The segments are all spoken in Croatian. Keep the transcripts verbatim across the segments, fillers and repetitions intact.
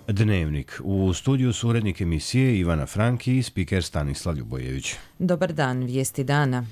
Dnevnik. U studiju su urednik emisije Ivana Franki i spiker Stanislav Ljubojević. Dobar dan, vijesti dana.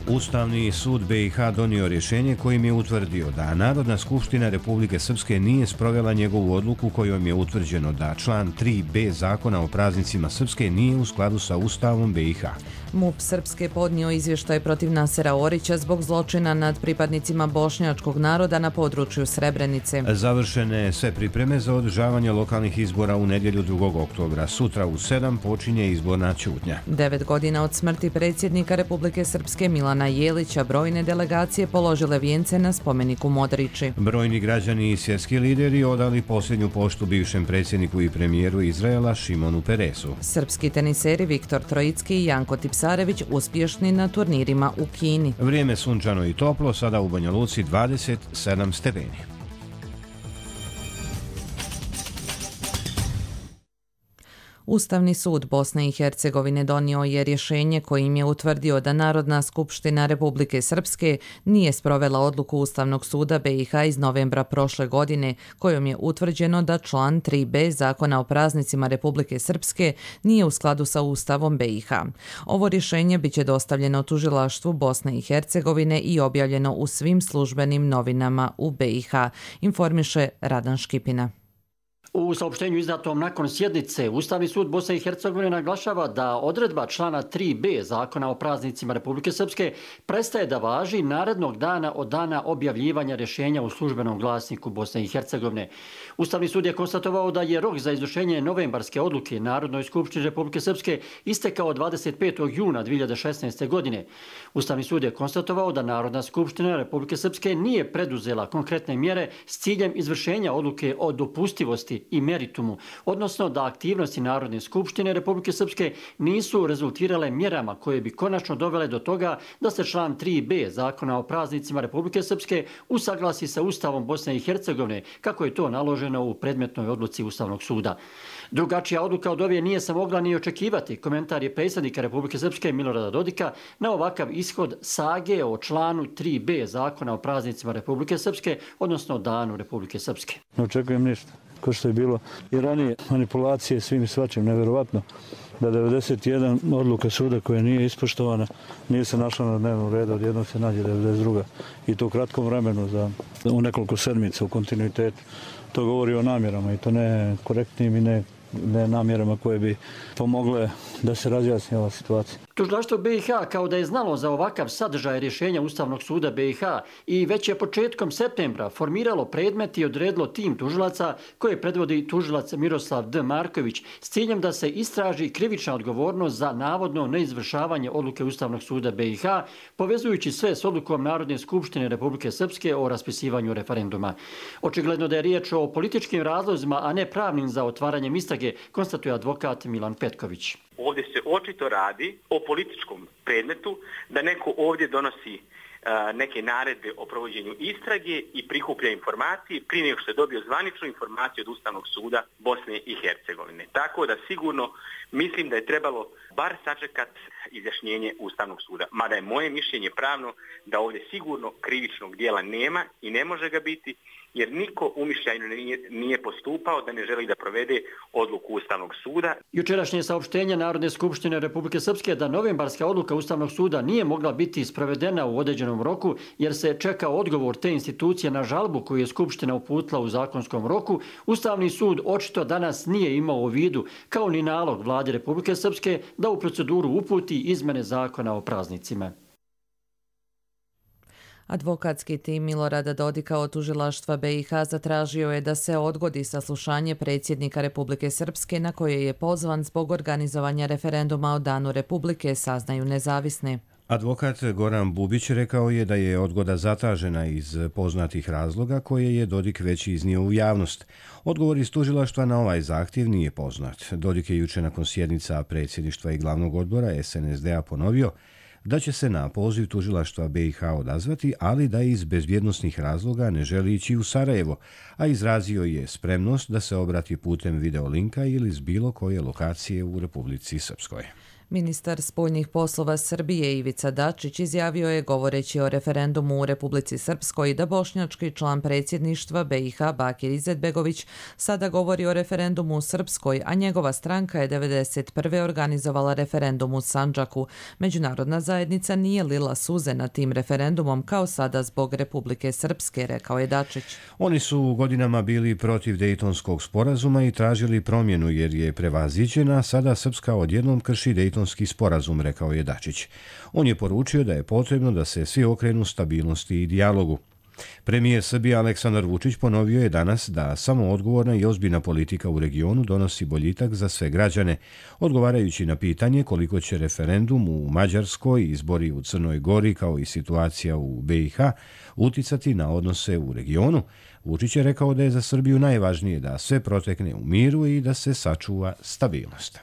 Ustavni sud B i H donio rješenje kojim je utvrdio da Narodna skupština Republike Srpske nije sprovela njegovu odluku kojom je utvrđeno da član tri b Zakona o praznicima Srpske nije u skladu sa Ustavom B i H. MUP Srpske podnio izvještaj protiv Nasera Orića zbog zločina nad pripadnicima bošnjačkog naroda na području Srebrenice. Završene sve pripreme za održavanje lokalnih izbora u nedjelju drugog oktobra. Sutra u sedam počinje izborna ćutnja. Devet godina od smrti predsjednika Republike Srpske Milana Jelića brojne delegacije položile vijence na spomeniku Modrići. Brojni građani i svjetski lideri odali posljednju poštu bivšem predsjedniku i premijeru Izraela Šimonu Peresu. Srpski teniseri Viktor Trojicki i Janko Tipsarević uspješni na turnirima u Kini. Vrijeme sunčano i toplo, sada u Banja Luci dvadeset sedam stepeni. Ustavni sud Bosne i Hercegovine donio je rješenje kojim je utvrdio da Narodna skupština Republike Srpske nije sprovela odluku Ustavnog suda B i H iz novembra prošle godine, kojom je utvrđeno da član tri b Zakona o praznicima Republike Srpske nije u skladu sa Ustavom B i H. Ovo rješenje biće dostavljeno tužilaštvu Bosne i Hercegovine i objavljeno u svim službenim novinama u B i H, informiše Radan Škipina. U saopštenju izdatom nakon sjednice, Ustavni sud Bosne i Hercegovine naglašava da odredba člana tri b Zakona o praznicima Republike Srpske prestaje da važi narednog dana od dana objavljivanja rješenja u službenom glasniku Bosne i Hercegovine. Ustavni sud je konstatovao da je rok za izvršenje novembarske odluke Narodnoj skupštini Republike Srpske istekao dvadeset petog juna dvije hiljade šesnaeste. godine. Ustavni sud je konstatovao da Narodna skupština Republike Srpske nije preduzela konkretne mjere s ciljem izvršenja odluke o dopustivosti i meritumu, odnosno da aktivnosti Narodne skupštine Republike Srpske nisu rezultirale mjerama koje bi konačno dovele do toga da se član tri b Zakona o praznicima Republike Srpske usaglasi sa Ustavom Bosne i Hercegovine, kako je to naloženo u predmetnoj odluci Ustavnog suda. Drugačija odluka od ove nije se mogla ni očekivati. Komentar je predsjednika Republike Srpske Milorada Dodika na ovakav ishod sage o članu tri b Zakona o praznicima Republike Srpske, odnosno Danu Republike Srpske. Ne očekujem ništa. Ko što je bilo i ranije manipulacije svim i svačim, nevjerovatno da devedeset jedan odluka suda koja nije ispoštovana nije se našla na dnevnom redu, odjednom se nađe devedeset druga i to u kratkom vremenu za u nekoliko sedmica u kontinuitetu. To govori o namjerama i to ne korektnim i ne, ne namjerama koje bi pomogle da se razjasni ova situacija. Tužilaštvo B i H kao da je znalo za ovakav sadržaj rješenja Ustavnog suda B i H i već je početkom septembra formiralo predmet i odredilo tim tužilaca koje predvodi tužilac Miroslav D. Marković s ciljem da se istraži krivična odgovornost za navodno neizvršavanje odluke Ustavnog suda B i H, povezujući sve s odlukom Narodne skupštine Republike Srpske o raspisivanju referenduma. Očigledno da je riječ o političkim razlozima, a ne pravnim za otvaranjem istrage, konstatuje advokat Milan Petković. Ovdje se očito radi o političkom predmetu, da neko ovdje donosi uh, neke naredbe o provođenju istrage i prikuplja informacije prije nego što je dobio zvaničnu informaciju od Ustavnog suda Bosne i Hercegovine. Tako da sigurno mislim da je trebalo bar sačekat izjašnjenje Ustavnog suda. Mada je moje mišljenje pravno da ovdje sigurno krivičnog dijela nema i ne može ga biti, jer niko umišljajno nije, nije postupao da ne želi da provede odluku Ustavnog suda. Jučerašnje saopštenje Narodne skupštine Republike Srpske da novembarska odluka Ustavnog suda nije mogla biti sprovedena u određenom roku jer se čeka odgovor te institucije na žalbu koju je Skupština uputila u zakonskom roku, Ustavni sud očito danas nije imao u vidu, kao ni nalog Vlade Republike Srpske da u proceduru uputi izmene zakona o praznicima. Advokatski tim Milorada Dodika od tužilaštva B i H zatražio je da se odgodi saslušanje predsjednika Republike Srpske na koje je pozvan zbog organizovanja referenduma o Danu Republike, saznaju nezavisni. Advokat Goran Bubić rekao je da je odgoda zatražena iz poznatih razloga koje je Dodik već iznio u javnost. Odgovor iz tužilaštva na ovaj zahtjev nije poznat. Dodik je juče nakon sjednica predsjedništva i glavnog odbora S N S D-a ponovio da će se na poziv tužilaštva B i H odazvati, ali da iz bezbjednosnih razloga ne želi ići u Sarajevo, a izrazio je spremnost da se obrati putem videolinka ili s bilo koje lokacije u Republici Srpskoj. Ministar spoljnih poslova Srbije Ivica Dačić izjavio je, govoreći o referendumu u Republici Srpskoj, da bošnjački član predsjedništva B i H Bakir Izetbegović sada govori o referendumu u Srpskoj, a njegova stranka je devedeset prve organizovala referendum u Sandžaku. Međunarodna zajednica nije lila suze nad tim referendumom kao sada zbog Republike Srpske, rekao je Dačić. Oni su godinama bili protiv Dejtonskog sporazuma i tražili promjenu jer je prevaziđena, sada Srpska odjednom krši Dejtonski sporazum, rekao je Dačić. On je poručio da je potrebno da se svi okrenu stabilnosti i dijalogu. Premijer Srbije Aleksandar Vučić ponovio je danas da samo odgovorna i ozbiljna politika u regionu donosi boljitak za sve građane, odgovarajući na pitanje koliko će referendum u Mađarskoj, izbori u Crnoj Gori kao i situacija u B i H uticati na odnose u regionu. Vučić je rekao da je za Srbiju najvažnije da sve protekne u miru i da se sačuva stabilnost.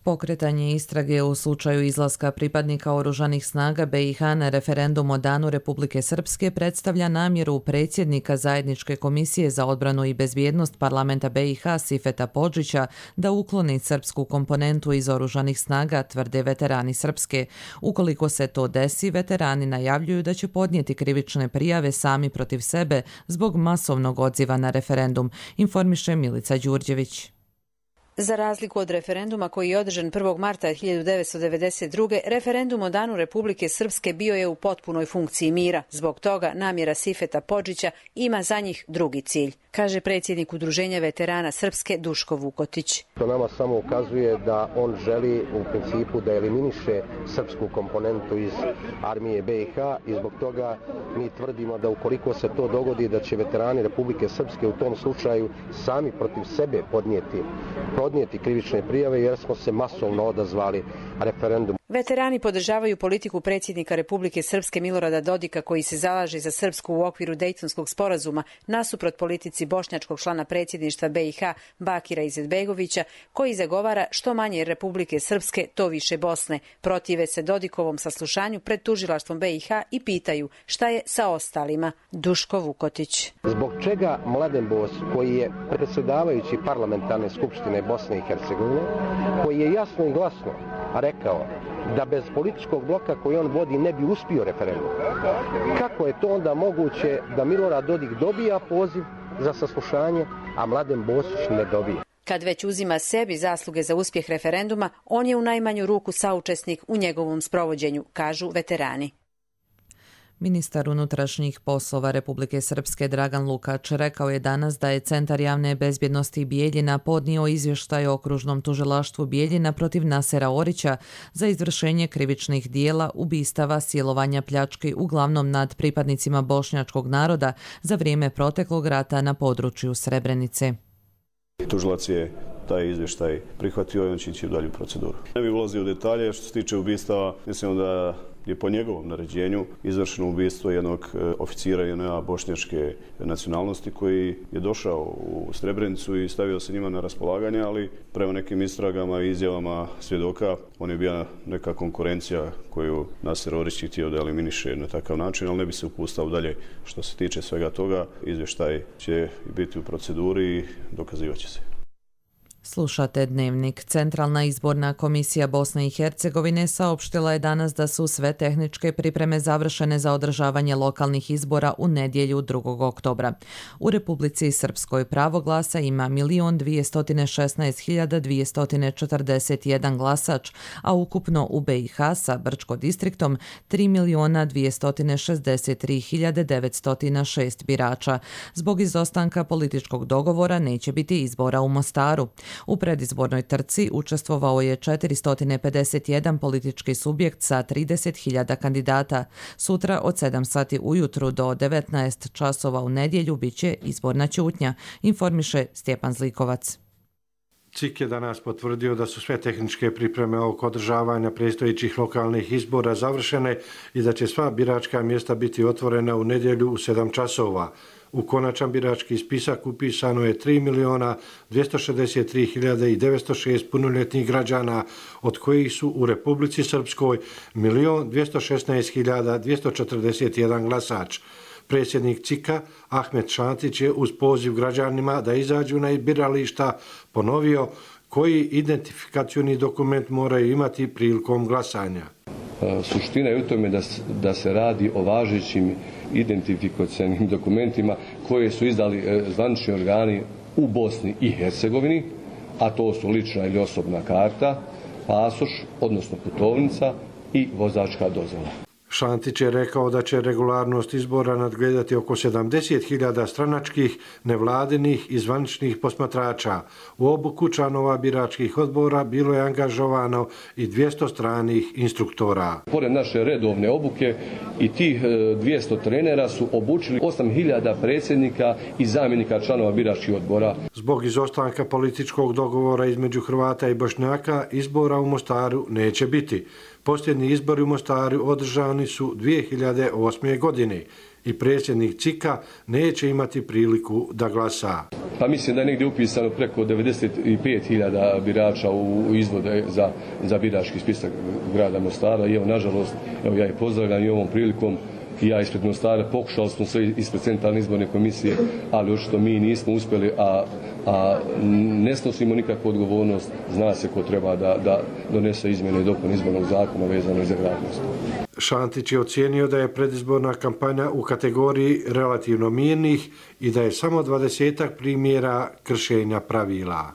Pokretanje istrage u slučaju izlaska pripadnika oružanih snaga B i H na referendum o danu Republike Srpske predstavlja namjeru predsjednika Zajedničke komisije za odbranu i bezbjednost parlamenta B i H Sifeta Podžića da ukloni srpsku komponentu iz oružanih snaga, tvrde veterani Srpske. Ukoliko se to desi, veterani najavljuju da će podnijeti krivične prijave sami protiv sebe zbog masovnog odziva na referendum, informiše Milica Đurđević. Za razliku od referenduma koji je održan prvog marta hiljadu devetsto devedeset druge. referendum o danu Republike Srpske bio je u potpunoj funkciji mira. Zbog toga namjera Sifeta Podžića ima za njih drugi cilj, kaže predsjednik Udruženja veterana Srpske Duško Vukotić. To nama samo ukazuje da on želi u principu da eliminiše srpsku komponentu iz armije B i H i zbog toga mi tvrdimo da ukoliko se to dogodi da će veterani Republike Srpske u tom slučaju sami protiv sebe podnijeti podnijeti krivične prijave jer smo se masovno odazvali referendumu. Veterani podržavaju politiku predsjednika Republike Srpske Milorada Dodika koji se zalaže za Srpsku u okviru Dejtonskog sporazuma nasuprot politici bošnjačkog člana predsjedništva B i H Bakira Izetbegovića koji zagovara što manje Republike Srpske, to više Bosne. Protive se Dodikovom saslušanju pred tužilaštvom B i H i pitaju šta je sa ostalima. Duško Vukotić. Zbog čega Mladen Bos, koji je predsjedavajući parlamentarne skupštine Bosne i Hercegovine, koji je jasno i glasno rekao da bez političkog bloka koji on vodi ne bi uspio referendum. Kako je to onda moguće da Milorad Dodik dobija poziv za saslušanje, a Mladen Bosić ne dobija? Kad već uzima sebi zasluge za uspjeh referenduma, on je u najmanju ruku saučesnik u njegovom sprovođenju, kažu veterani. Ministar unutrašnjih poslova Republike Srpske Dragan Lukač rekao je danas da je Centar javne bezbjednosti Bijeljina podnio izvještaj o okružnom tužilaštvu Bijeljina protiv Nasera Orića za izvršenje krivičnih dijela, ubistava, silovanja, pljački, uglavnom nad pripadnicima bošnjačkog naroda za vrijeme proteklog rata na području Srebrenice. Tužilac je taj izvještaj prihvatio i on će ići u dalju proceduru. Ne bih ulazio u detalje što se tiče ubistava, mislim da je po njegovom naređenju izvršeno ubistvo jednog oficira J N A bošnjačke nacionalnosti koji je došao u Srebrenicu i stavio se njima na raspolaganje, ali prema nekim istragama i izjavama svjedoka on je bio neka konkurencija koju Naser Orić htio da eliminiše na takav način, ali ne bi se upustao dalje što se tiče svega toga. Izvještaj će biti u proceduri i dokazivat će se. Slušate Dnevnik. Centralna izborna komisija Bosne i Hercegovine saopštila je danas da su sve tehničke pripreme završene za održavanje lokalnih izbora u nedjelju drugog oktobra. U Republici Srpskoj pravo glasa ima milion dvjesto šesnaest hiljada dvjesto četrdeset jedan glasač, a ukupno u B i H sa Brčko distriktom tri miliona dvjesto šezdeset tri hiljade devetsto šest birača. Zbog izostanka političkog dogovora neće biti izbora u Mostaru. U predizbornoj trci učestvovao je četiristo pedeset jedan politički subjekt sa trideset hiljada kandidata. Sutra od sedam sati ujutru do devetnaest časova u nedjelju biće izborna ćutnja, informiše Stjepan Zlikovac. C I K je danas potvrdio da su sve tehničke pripreme oko održavanja predstojećih lokalnih izbora završene i da će sva biračka mjesta biti otvorena u nedjelju u sedam časova. U konačan birački spisak upisano je tri miliona dvjesto šezdeset tri hiljade devetsto šest punoljetnih građana, od kojih su u Republici Srpskoj milion dvjesto šesnaest hiljada dvjesto četrdeset jedan glasač. Predsjednik C I K-a Ahmet Šantić je uz poziv građanima da izađu na birališta ponovio koji identifikacioni dokument moraju imati prilikom glasanja. Suština je u tome da, da se radi o važećim identifikacionim dokumentima koje su izdali zvanični organi u Bosni i Hercegovini, a to su lična ili osobna karta, pasoš, odnosno putovnica i vozačka dozvola. Šantić je rekao da će regularnost izbora nadgledati oko sedamdeset hiljada stranačkih, nevladinih i zvaničnih posmatrača. U obuku članova biračkih odbora bilo je angažovano i dvjesto stranih instruktora. Pored naše redovne obuke i tih dvjesto trenera su obučili osam hiljada predsjednika i zamjenika članova biračkih odbora. Zbog izostanka političkog dogovora između Hrvata i Bošnjaka izbora u Mostaru neće biti. Posljednji izbori u Mostaru održani su dvije hiljade osme. godine i predsjednik C I K-a neće imati priliku da glasa. Pa mislim da je negdje upisano preko devedeset pet hiljada birača u izvode za, za birački spisak grada Mostara i evo, nažalost, evo, ja je pozdravljam i ovom prilikom i ja ispred Mostara pokušali smo sve ispred centralne izborne komisije, ali očito mi nismo uspjeli, a, a ne snosimo nikakvu odgovornost, zna se ko treba da, da donese izmjene i dopune izbornog zakona vezano za grad Mostar. Šantić je ocijenio da je predizborna kampanja u kategoriji relativno mirnih i da je samo dvadesetak primjera kršenja pravila.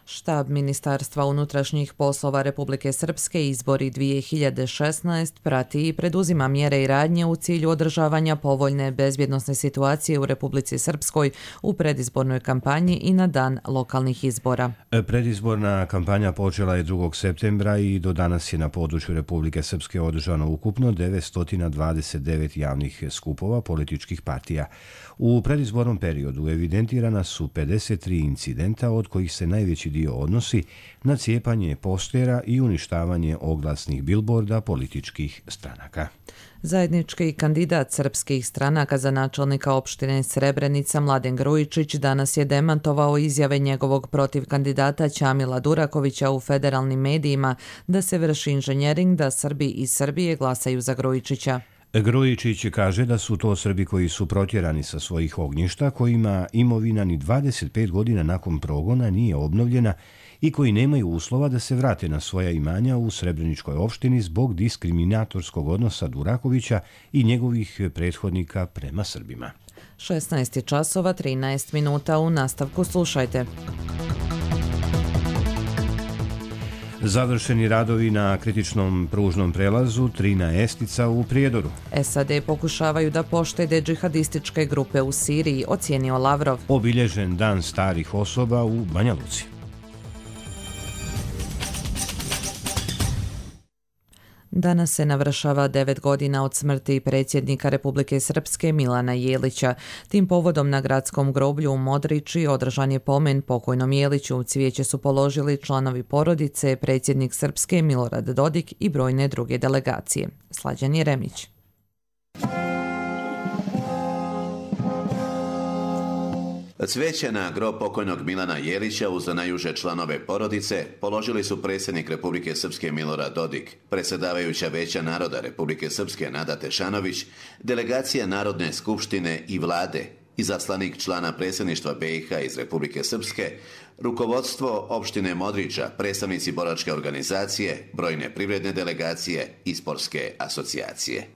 Štab Ministarstva unutrašnjih poslova Republike Srpske izbori dvije hiljade šesnaeste prati i preduzima mjere i radnje u cilju održavanja povoljne bezbjednosne situacije u Republici Srpskoj u predizbornoj kampanji i na dan lokalnih izbora. Predizborna kampanja počela je drugog septembra i do danas je na području Republike Srpske održano ukupno devetsto dvadeset devet javnih skupova političkih partija. U predizbornom periodu evidentirana su pedeset tri incidenta, od kojih se najveći dio odnosi na cijepanje postera i uništavanje oglasnih bilborda političkih stranaka. Zajednički kandidat srpskih stranaka za načelnika opštine Srebrenica Mladen Grujičić danas je demantovao izjave njegovog protiv kandidata Ćamila Durakovića u federalnim medijima da se vrši inženjering da Srbi iz Srbije glasaju za Grujičića. Grujičić kaže da su to Srbi koji su protjerani sa svojih ognjišta, kojima imovina ni dvadeset pet godina nakon progona nije obnovljena i koji nemaju uslova da se vrate na svoja imanja u Srebreničkoj opštini zbog diskriminatorskog odnosa Durakovića i njegovih prethodnika prema Srbima. šesnaest časova trinaest minuta, u nastavku slušajte. Završeni radovi na kritičnom pružnom prelazu Trina Estica u Prijedoru. S A D pokušavaju da poštede džihadističke grupe u Siriji, ocijenio Lavrov. Obilježen dan starih osoba u Banja Luci. Danas se navršava devet godina od smrti predsjednika Republike Srpske Milana Jelića. Tim povodom na gradskom groblju u Modriči održan je pomen pokojnom Jeliću. Cvijeće su položili članovi porodice, predsjednik Srpske Milorad Dodik i brojne druge delegacije. Slađan Jeremić. Cvijeće na grob pokojnog Milana Jelića uz najuže članove porodice položili su predsjednik Republike Srpske Milorad Dodik, predsjedavajuća Veća naroda Republike Srpske Nada Tešanović, delegacija Narodne skupštine i vlade, izaslanik člana predsjedništva B i H iz Republike Srpske, rukovodstvo opštine Modriča, predstavnici boračke organizacije, brojne privredne delegacije i sportske asocijacije.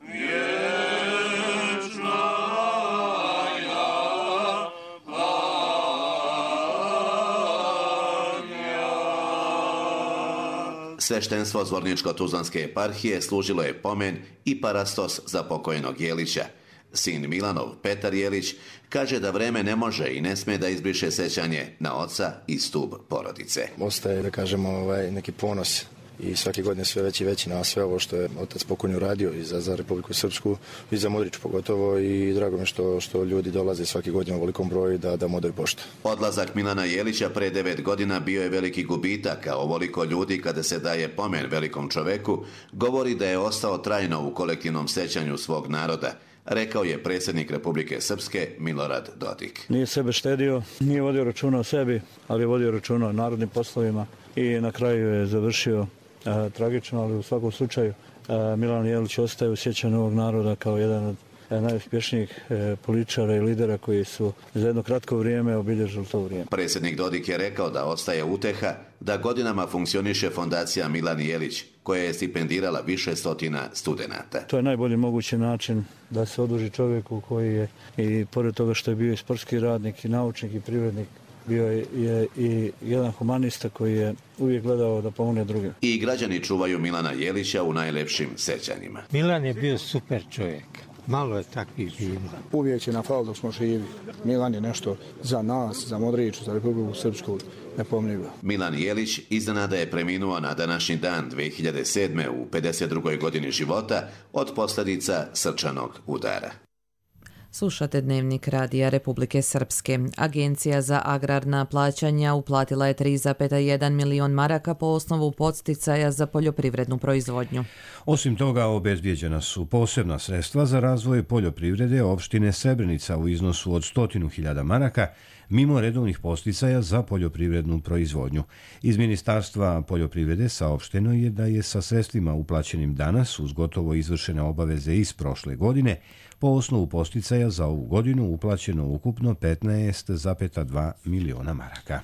Sveštenstvo Zvorničko-Tuzlanske eparhije služilo je pomen i parastos za pokojnog Jelića. Sin Milanov, Petar Jelić, kaže da vreme ne može i ne sme da izbriše sećanje na oca i stub porodice. Ostaje, da kažemo, ovaj, neki ponos i svake godine sve veći i veći na sve ovo što je otac pokojni uradio i za, za Republiku Srpsku i za Modrić pogotovo, i drago mi što, što ljudi dolaze svake godine u velikom broju da, da modaju poštu. Odlazak Milana Jelića pre devet godina bio je veliki gubitak, a ovoliko ljudi kada se daje pomen velikom čoveku govori da je ostao trajno u kolektivnom sećanju svog naroda, rekao je predsjednik Republike Srpske Milorad Dodik. Nije sebe štedio, nije vodio računa o sebi, ali je vodio računa o narodnim poslovima i na kraju je završio E, tragično, ali u svakom slučaju e, Milan Jelić ostaje u sjećanju ovog naroda kao jedan od najuspješnijih političara i lidera koji su za jedno kratko vrijeme obilježili to vrijeme. Predsjednik Dodik je rekao da ostaje uteha da godinama funkcioniše fondacija Milan Jelić, koja je stipendirala više stotina studenata. To je najbolji mogući način da se oduži čovjeku koji je, i pored toga što je bio i sportski radnik, i naučnik, i privrednik, bio je i jedan humanista koji je uvijek gledao da pomogne drugim. I građani čuvaju Milana Jelića u najlepšim sećanjima. Milan je bio super čovjek. Malo je takvih bilo. Uvijek će na fal dok smo živi. Milan je nešto za nas, za Modriću, za Republiku Srpsku nepomnjivo. Milan Jelić iznenada je preminuo na današnji dan dve hiljade sedme u pedeset drugoj godini života od posljedica srčanog udara. Slušate Dnevnik Radija Republike Srpske. Agencija za agrarna plaćanja uplatila je tri zarez jedan milion maraka po osnovu podsticaja za poljoprivrednu proizvodnju. Osim toga, obezbijeđena su posebna sredstva za razvoj poljoprivrede opštine Srebrenica u iznosu od stotinu hiljada maraka, mimo redovnih podsticaja za poljoprivrednu proizvodnju. Iz Ministarstva poljoprivrede saopšteno je da je sa sredstvima uplaćenim danas uz gotovo izvršene obaveze iz prošle godine po osnovu podsticaja za ovu godinu uplaćeno ukupno petnaest zarez dva miliona maraka.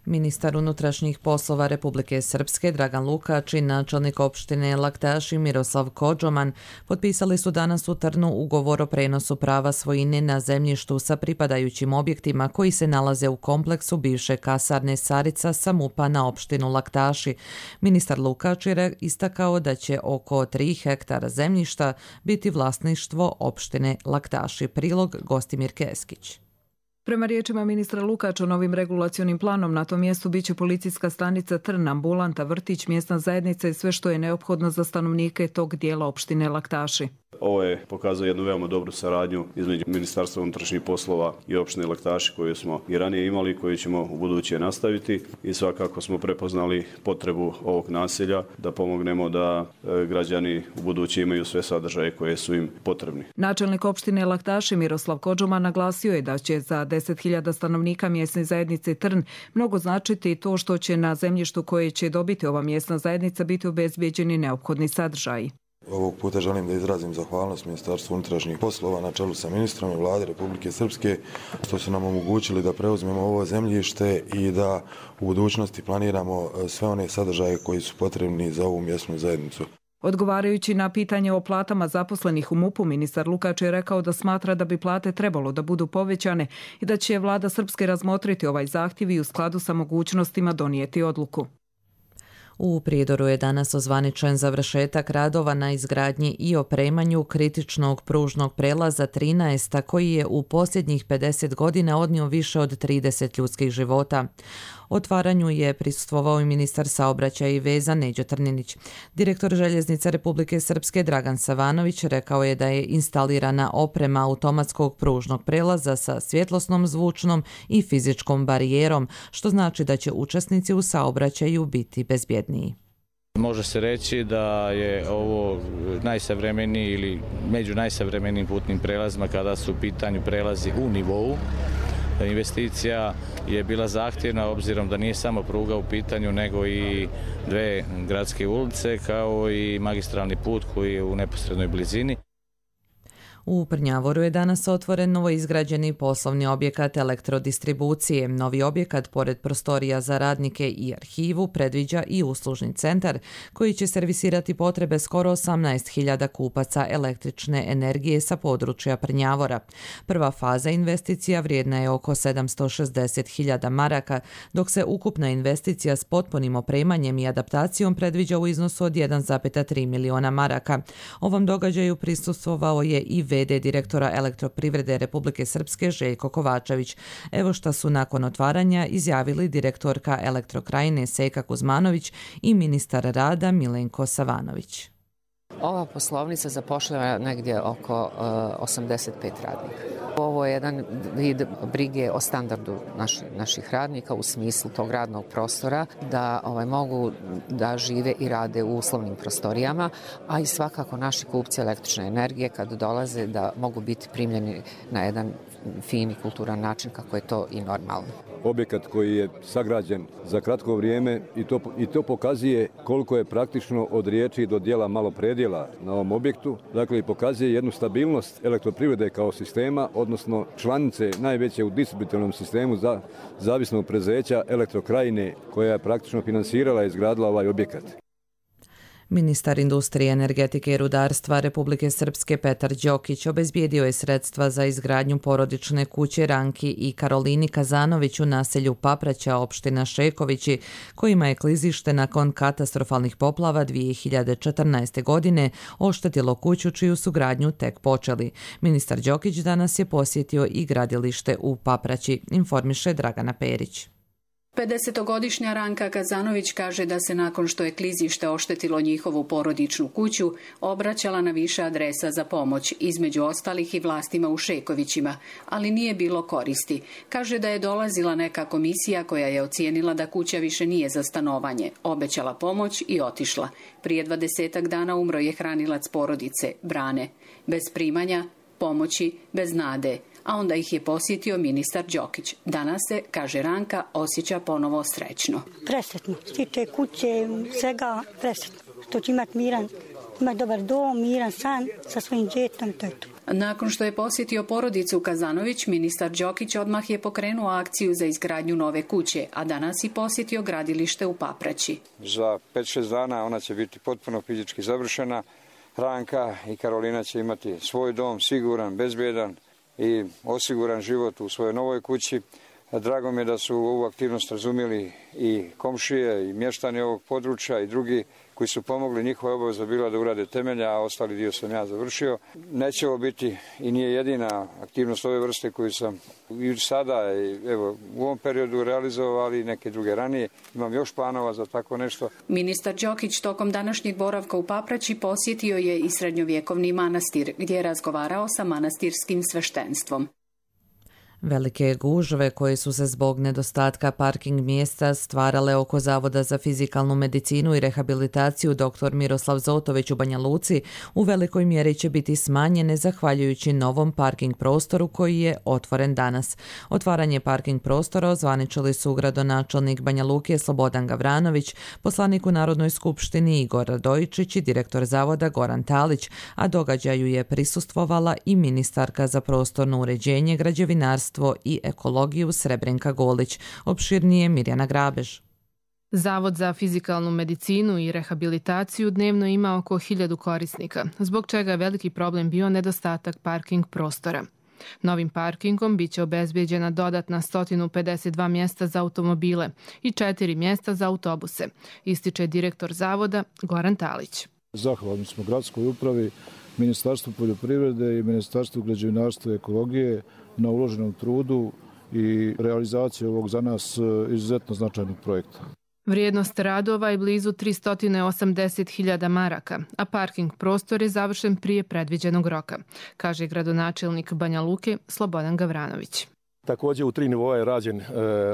Ministar unutrašnjih poslova Republike Srpske Dragan Lukač i načelnik opštine Laktaši Miroslav Kodžoman potpisali su danas u Trnu ugovor o prenosu prava svojine na zemljištu sa pripadajućim objektima koji se nalaze u kompleksu bivše kasarne Sarica sa MUP-a na opštinu Laktaši. Ministar Lukač je istakao da će oko tri hektara zemljišta biti vlasništvo opštine Laktaši. Prilog Gostimir Keskić. Prema riječima ministra Lukača, novim regulacionim planom na tom mjestu biće policijska stanica Trn, ambulanta, vrtić, mjesna zajednica i sve što je neophodno za stanovnike tog dijela opštine Laktaši. Ovo je pokazao jednu veoma dobru saradnju između Ministarstva unutrašnjih poslova i opštine Laktaši koju smo i ranije imali i koju ćemo u buduće nastaviti i svakako smo prepoznali potrebu ovog naselja da pomognemo da građani u buduće imaju sve sadržaje koje su im potrebni. Načelnik opštine Laktaši Miroslav Kodžoman naglasio je da će za deset hiljada stanovnika mjesne zajednice Trn mnogo značiti to što će na zemljištu koje će dobiti ova mjesna zajednica biti obezbijeđeni neophodni sadržaji. Ovog puta želim da izrazim zahvalnost Ministarstvu unutrašnjih poslova na čelu sa ministrom i Vlade Republike Srpske što su nam omogućili da preuzmemo ovo zemljište i da u budućnosti planiramo sve one sadržaje koji su potrebni za ovu mjesnu zajednicu. Odgovarajući na pitanje o platama zaposlenih u MUP-u, ministar Lukač je rekao da smatra da bi plate trebalo da budu povećane i da će Vlada Srpske razmotriti ovaj zahtjev i u skladu sa mogućnostima donijeti odluku. U Prijedoru je danas ozvaničen završetak radova na izgradnji i opremanju kritičnog pružnog prelaza trinaest koji je u posljednjih pedeset godina odnio više od trideset ljudskih života. Otvaranju je prisustvovao i ministar saobraćaja i veza Neđo Trninić. Direktor Željeznice Republike Srpske Dragan Savanović rekao je da je instalirana oprema automatskog pružnog prelaza sa svjetlosnom, zvučnom i fizičkom barijerom, što znači da će učesnici u saobraćaju biti bezbjedniji. Može se reći da je ovo najsavremeniji ili među najsavremenijim putnim prelazima kada su u pitanju prelazi u nivou. Investicija je bila zahtjevna obzirom da nije samo pruga u pitanju nego i dve gradske ulice kao i magistralni put koji je u neposrednoj blizini. U Prnjavoru je danas otvoren novoizgrađeni poslovni objekat elektrodistribucije. Novi objekat, pored prostorija za radnike i arhivu, predviđa i uslužni centar koji će servisirati potrebe skoro osamnaest hiljada kupaca električne energije sa područja Prnjavora. Prva faza investicija vrijedna je oko sedamsto šezdeset hiljada maraka, dok se ukupna investicija s potpunim opremanjem i adaptacijom predviđa u iznosu od jedan zarez tri miliona maraka. Ovom događaju prisustvovao je i v d direktora Elektroprivrede Republike Srpske Željko Kovačević. Evo šta su nakon otvaranja izjavili direktorka Elektrokrajine Sejka Kuzmanović i ministar rada Milenko Savanović. Ova poslovnica zapošljava negdje oko uh, osamdeset pet radnika. Ovo je jedan vid brige o standardu naši, naših radnika u smislu tog radnog prostora da ovaj, mogu da žive i rade u uslovnim prostorijama, a i svakako naši kupci električne energije kad dolaze da mogu biti primljeni na jedan fin i kulturan način kako je to i normalno. objekat koji je sagrađen za kratko vrijeme i to, i to pokazuje koliko je praktično od riječi do dijela malo predjela na ovom objektu. Dakle, i pokazuje jednu stabilnost elektroprivrede kao sistema, odnosno članice najveće u distributivnom sistemu za zavisnog preduzeća Elektrokrajine, koja je praktično finansirala i izgradila ovaj objekat. Ministar industrije, energetike i rudarstva Republike Srpske Petar Đokić obezbijedio je sredstva za izgradnju porodične kuće Ranki i Karolini Kazanović u naselju Papraća, opština Šekovići, kojima je klizište nakon katastrofalnih poplava dvije hiljade četrnaeste. godine oštetilo kuću čiju su gradnju tek počeli. Ministar Đokić danas je posjetio i gradilište u Papraći, informiše Dragana Perić. pedesetogodišnja Ranka Kazanović kaže da se nakon što je klizište oštetilo njihovu porodičnu kuću, obraćala na više adresa za pomoć, između ostalih i vlastima u Šekovićima, ali nije bilo koristi. Kaže da je dolazila neka komisija koja je ocijenila da kuća više nije za stanovanje, obećala pomoć i otišla. Prije dvadesetak dana umro je hranilac porodice, Brane. Bez primanja, pomoći, bez nade. A onda ih je posjetio ministar Đokić. Danas se, kaže Ranka, osjeća ponovo srećno. Presretno. Stiče kuće, svega presretno. Što će imati miran, imati dobar dom, miran san sa svojim djetom, to je to. Nakon što je posjetio porodicu Kazanović, ministar Đokić odmah je pokrenuo akciju za izgradnju nove kuće, a danas i posjetio gradilište u Papraći. Za pet šest dana ona će biti potpuno fizički završena. Ranka i Karolina će imati svoj dom, siguran, bezbjedan i osiguran život u svojoj novoj kući. Drago mi je da su ovu aktivnost razumjeli i komšije i mještani ovog područja i drugi koji su pomogli. Njihova obaveza bila da urade temelja, a ostali dio sam ja završio. Neće ovo biti i nije jedina aktivnost ove vrste koju sam i sada i evo, u ovom periodu realizovao, ali i neke druge ranije. Imam još planova za tako nešto. Ministar Đokić tokom današnjeg boravka u Papraći posjetio je i srednjovjekovni manastir, gdje je razgovarao sa manastirskim sveštenstvom. Velike gužve koje su se zbog nedostatka parking mjesta stvarale oko Zavoda za fizikalnu medicinu i rehabilitaciju dr. Miroslav Zotović u Banja Luci u velikoj mjeri će biti smanjene zahvaljujući novom parking prostoru koji je otvoren danas. Otvaranje parking prostora ozvaničili su gradonačelnik Banja Luke Slobodan Gavranović, poslanik u Narodnoj skupštini Igor Radojičić i direktor Zavoda Goran Talić, a događaju je prisustvovala i ministarka za prostorno uređenje, građevinarstvo i ekologiju Srebrenka Golić. Opširnije Mirjana Grabež. Zavod za fizikalnu medicinu i rehabilitaciju dnevno ima oko hiljadu korisnika, zbog čega je veliki problem bio nedostatak parking prostora. Novim parkingom biće obezbeđena dodatna sto pedeset dva mjesta za automobile i četiri mjesta za autobuse, ističe direktor zavoda Goran Talić. Zahvalni smo gradskoj upravi, Ministarstvu poljoprivrede i Ministarstvu građevinarstva i ekologije na uloženom trudu i realizaciji ovog za nas izuzetno značajnog projekta. Vrijednost radova je blizu tristo osamdeset hiljada maraka, a parking prostor je završen prije predviđenog roka, kaže gradonačelnik Banja Luke Slobodan Gavranović. Također u tri nivoa je rađen e,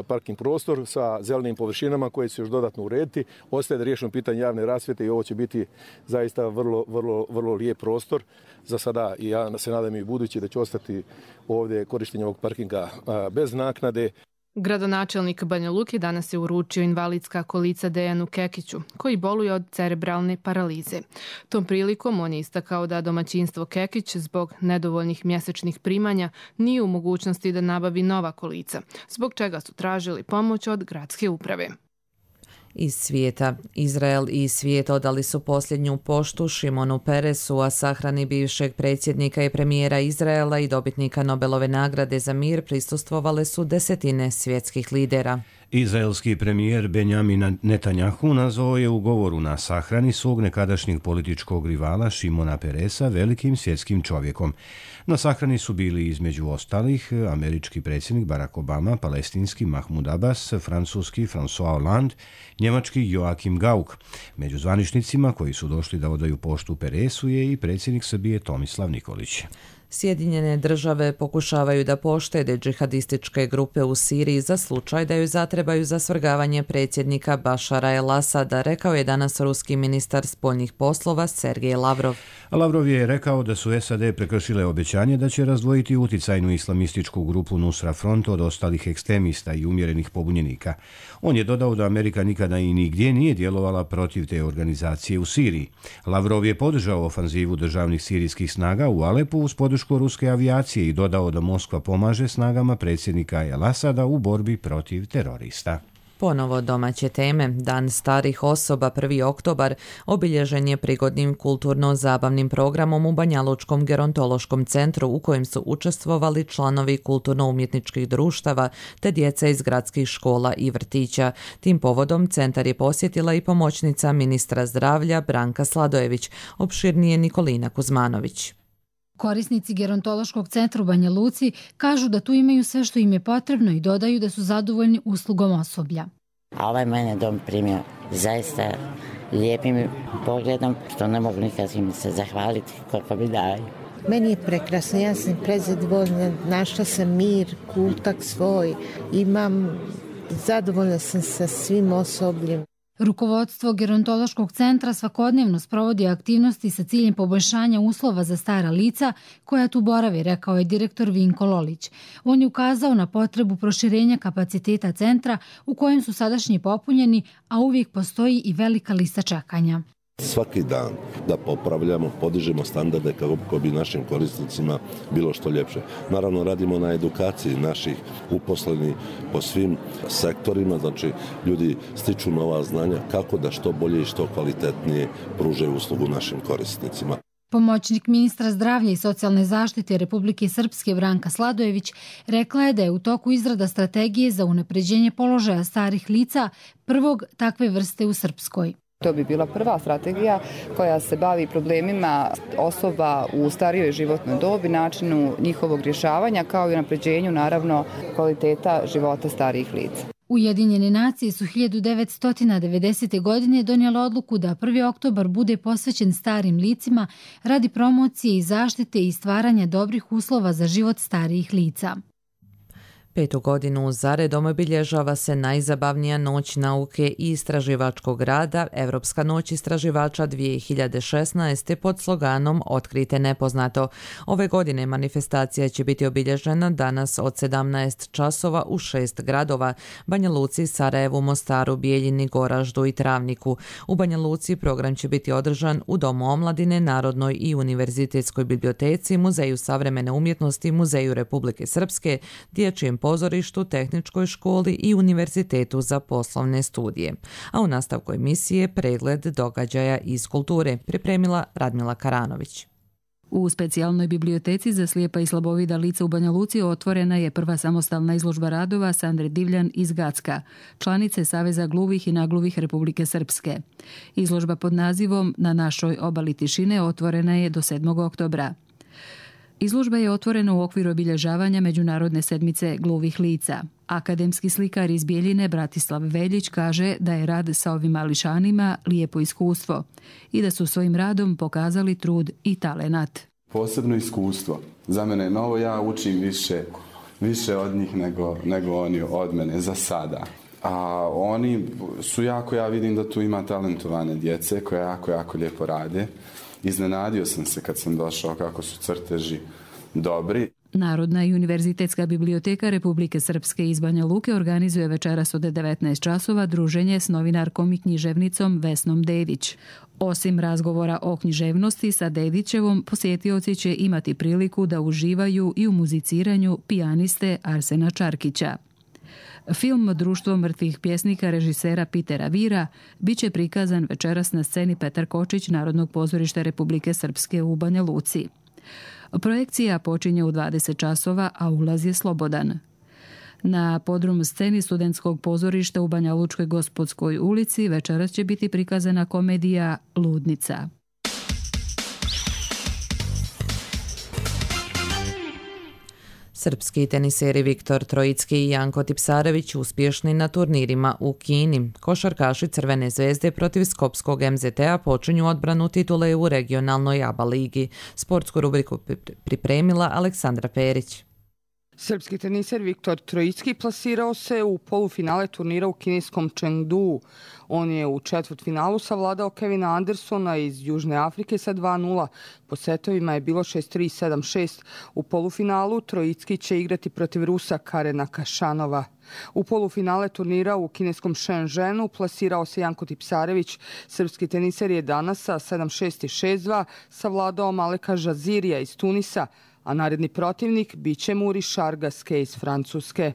parking prostor sa zelenim površinama koje će još dodatno urediti. Ostaje da riješimo pitanje javne rasvjete i ovo će biti zaista vrlo, vrlo, vrlo lijep prostor. Za sada i ja se nadam i budući da će ostati ovdje korištenje ovog parkinga a, bez naknade. Gradonačelnik Banja Luke danas je uručio invalidska kolica Dejanu Kekiću, koji boluje od cerebralne paralize. Tom prilikom on je istakao da domaćinstvo Kekić zbog nedovoljnih mjesečnih primanja nije u mogućnosti da nabavi nova kolica, zbog čega su tražili pomoć od gradske uprave. Iz svijeta. Izrael i svijet odali su posljednju poštu Šimonu Peresu, a sahrani bivšeg predsjednika i premijera Izraela i dobitnika Nobelove nagrade za mir prisustvovale su desetine svjetskih lidera. Izraelski premijer Benjamin Netanjahu nazvao je u govoru na sahrani svog nekadašnjeg političkog rivala Šimona Peresa velikim svjetskim čovjekom. Na sahrani su bili između ostalih američki predsjednik Barack Obama, palestinski Mahmud Abbas, francuski François Hollande, njemački Joachim Gauck. Među zvaničnicima koji su došli da odaju poštu Peresu je i predsjednik Srbije Tomislav Nikolić. Sjedinjene države pokušavaju da poštede džihadističke grupe u Siriji za slučaj da ju zatrebaju za svrgavanje predsjednika Bašara el-Asada, rekao je danas ruski ministar spoljnih poslova Sergej Lavrov. Lavrov je rekao da su S A D prekršile obećanje da će razdvojiti uticajnu islamističku grupu Nusra Front od ostalih ekstremista i umjerenih pobunjenika. On je dodao da Amerika nikada i nigdje nije djelovala protiv te organizacije u Siriji. Lavrov je podržao ofanzivu državnih sirijskih snaga u Alepu uz podršku ruske avijacije i dodao da Moskva pomaže snagama predsjednika el-Asada u borbi protiv terorista. Ponovo domaće teme. Dan starih osoba prvi oktobar obilježen je prigodnim kulturno-zabavnim programom u Banjalučkom gerontološkom centru u kojem su učestvovali članovi kulturno-umjetničkih društava te djeca iz gradskih škola i vrtića. Tim povodom centar je posjetila i pomoćnica ministra zdravlja Branka Sladojević, opširnije Nikolina Kuzmanović. Korisnici gerontološkog centra u Banja Luci kažu da tu imaju sve što im je potrebno i dodaju da su zadovoljni uslugom osoblja. A ovaj mene dom primio zaista lijepim pogledom, što ne mogu nikad im se zahvaliti koliko mi daju. Meni je prekrasno, ja sam predzadovoljna, našla sam mir, kultak svoj, imam, zadovoljna sam sa svim osobljem. Rukovodstvo gerontološkog centra svakodnevno sprovodi aktivnosti sa ciljem poboljšanja uslova za stara lica koja tu boravi, rekao je direktor Vinko Lolić. On je ukazao na potrebu proširenja kapaciteta centra u kojem su sadašnji popunjeni, a uvijek postoji i velika lista čekanja. Svaki dan da popravljamo, podižemo standarde kako bi našim korisnicima bilo što ljepše. Naravno, radimo na edukaciji naših uposlenih po svim sektorima, znači ljudi stiču nova znanja kako da što bolje i što kvalitetnije pružaju uslugu našim korisnicima. Pomoćnik ministra zdravlja i socijalne zaštite Republike Srpske Branka Sladojević rekla je da je u toku izrada strategije za unapređenje položaja starih lica prvog takve vrste u Srpskoj. To bi bila prva strategija koja se bavi problemima osoba u starijoj životnoj dobi, načinu njihovog rješavanja kao i unapređenju naravno kvaliteta života starijih lica. Ujedinjene nacije su hiljadu devetsto devedesete. godine donijele odluku da prvi oktobar bude posvećen starim licima radi promocije i zaštite i stvaranja dobrih uslova za život starijih lica. Petu godinu zaredom obilježava se najzabavnija noć nauke i istraživačkog rada, Evropska noć istraživača dvije hiljade šesnaeste. pod sloganom Otkrite nepoznato. Ove godine manifestacija će biti obilježena danas od sedamnaest časova u šest gradova: Banja Luci, Sarajevu, Mostaru, Bijeljini, Goraždu i Travniku. U Banja Luci program će biti održan u Domu omladine, Narodnoj i Univerzitetskoj biblioteci, Muzeju savremene umjetnosti, Muzeju Republike Srpske, Dječjem pozorištu, Tehničkoj školi i Univerzitetu za poslovne studije. A u nastavku emisije pregled događaja iz kulture pripremila Radmila Karanović. U specijalnoj biblioteci za slijepa i slabovida lica u Banja Luci otvorena je prva samostalna izložba radova Sandre Divljan iz Gacka, članice Saveza gluvih i nagluvih Republike Srpske. Izložba pod nazivom Na našoj obali tišine otvorena je do sedmog oktobra. Izložba je otvorena u okviru obilježavanja Međunarodne sedmice gluvih lica. Akademski slikar iz Bijeljine Bratislav Veljić kaže da je rad sa ovim mališanima lijepo iskustvo i da su svojim radom pokazali trud i talenat. Posebno iskustvo. Za mene je novo, ja učim više, više od njih nego, nego oni od mene za sada. A oni su jako, ja vidim da tu ima talentovane djece koje jako, jako lijepo rade. Iznenadio sam se kad sam došao kako su crteži dobri. Narodna i univerzitetska biblioteka Republike Srpske iz Banja Luke organizuje večeras od devetnaest časova druženje s novinarkom i književnicom Vesnom Dedić. Osim razgovora o književnosti sa Dedićevom, posjetioci će imati priliku da uživaju i u muziciranju pijaniste Arsena Čarkića. Film Društvo mrtvih pjesnika režisera Pitera Vira biće prikazan večeras na sceni Petar Kočić Narodnog pozorišta Republike Srpske u Banja Luci. Projekcija počinje u dvadeset časova, a ulaz je slobodan. Na podrum sceni studentskog pozorišta u Banja Lučkoj Gospodskoj ulici večeras će biti prikazana komedija Ludnica. Srpski teniseri Viktor Trojicki i Janko Tipsarević uspješni na turnirima u Kini. Košarkaši Crvene zvezde protiv Skopskog em zet a počinju odbranu titule u regionalnoj A B A ligi. Sportsku rubriku pripremila Aleksandra Perić. Srpski teniser Viktor Trojicki plasirao se u polufinale turnira u kineskom Chengdu. On je u četvrtfinalu savladao Kevina Andersona iz Južne Afrike sa dva nula. Po setovima je bilo šest tri sedam šest. U polufinalu Trojicki će igrati protiv Rusa Karena Kašanova. U polufinale turnira u kineskom Shenzhenu plasirao se Janko Tipsarević. Srpski teniser je danas sa sedam šest i šest dva savladao Maleka Žazirija iz Tunisa, a naredni protivnik biće mu Richard Gasquet iz Francuske.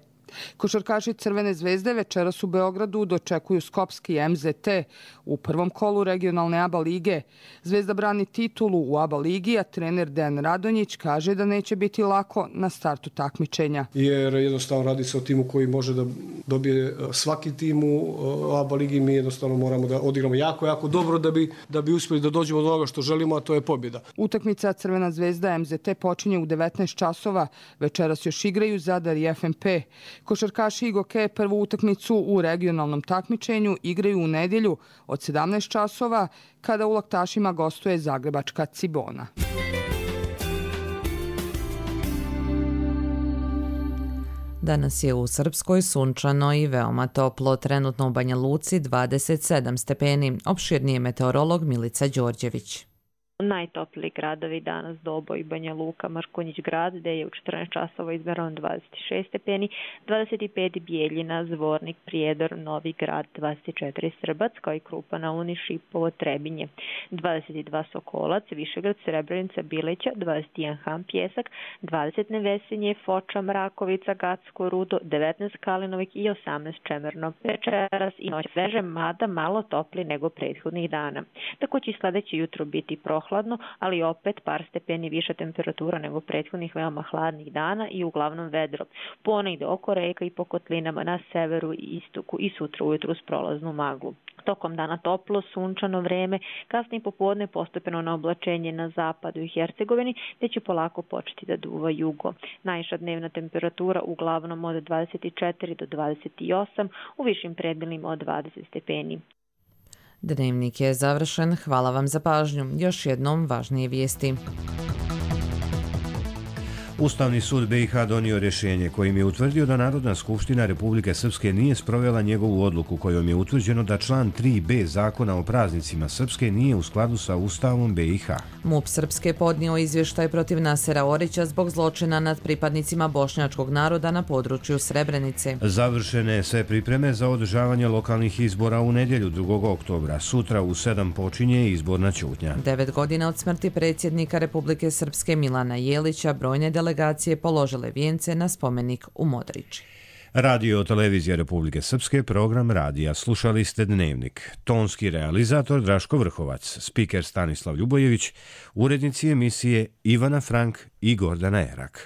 Košarkaši Crvene zvezde večeras u Beogradu dočekuju skopski em zet a u prvom kolu regionalne A B A lige. Zvezda brani titulu u A B A ligi, a trener Dejan Radonjić kaže da neće biti lako na startu takmičenja. Jer jednostavno radi se o timu koji može da dobije svaki tim u A B A ligi. Mi jednostavno moramo da odigramo jako, jako dobro da bi, da bi uspjeli da dođemo do onoga što želimo, a to je pobjeda. Utakmica Crvena zvezda em zet a počinje u devetnaest časova. Večeras još igraju Zadar i ef em pe. Košarkaši Igoke prvu utakmicu u regionalnom takmičenju igraju u nedjelju od sedamnaest časova kada u Laktašima gostuje zagrebačka Cibona. Danas je u Srpskoj sunčano i veoma toplo, trenutno u Banja Luci dvadeset sedam stepeni. Opširniji je meteorolog Milica Đorđević. Najtopliji gradovi danas Doboj, Banja Luka, Mrkonjić grad, gde je u četrnaest časova izmereno dvadeset šest stepeni, dvadeset pet Bijeljina, Zvornik, Prijedor, Novi grad, dvadeset četiri Srbac, kao i Krupa na Uni, Šipovo, Trebinje, dvadeset dva Sokolac, Višegrad, Srebrenica, Bileća, dvadeset jedan Ham, Pjesak, dvadeset Nevesinje, Foča, Mrakovica, Gacko, Rudo, devetnaest Kalinovik i osamnaest Čemerno. Večeras i noć sveže, mada malo topli nego prethodnih dana. Tako će sledeće jutro biti prohladno, hladno, ali opet par stepeni viša temperatura nego prethodnih veoma hladnih dana i uglavnom vedro. Ponegde oko reka i po kotlinama na severu i istoku i sutra ujutru s prolaznu maglu. Tokom dana toplo, sunčano vreme, kasnije popodne postepeno na oblačenje na zapadu i Hercegovini, te će polako početi da duva jugo. Najviša dnevna temperatura uglavnom od dvadeset četiri do dvadeset osam, u višim predelima od dvadeset stepeni. Dnevnik je završen. Hvala vam za pažnju. Još jednom važnije vijesti. Ustavni sud be i ha donio rješenje kojim je utvrdio da Narodna skupština Republike Srpske nije sprovela njegovu odluku kojom je utvrđeno da član tri be Zakona o praznicima Srpske nije u skladu sa Ustavom be i ha. MUP Srpske podnio izvještaj protiv Nasera Orića zbog zločina nad pripadnicima bošnjačkog naroda na području Srebrenice. Završene sve pripreme za održavanje lokalnih izbora u nedjelju drugog oktobra. Sutra u sedam počinje izborna ćutnja. Devet godina od smrti predsjednika Republike Srpske Milana Jelića brojne delegacije položile vijence na spomenik u Modriči. Radio televizija Republike Srpske, program radija. Slušali ste Dnevnik. Tonski realizator Draško Vrhovac, spiker Stanislav Ljubojević, urednici emisije Ivana Frank i Gordana Erak.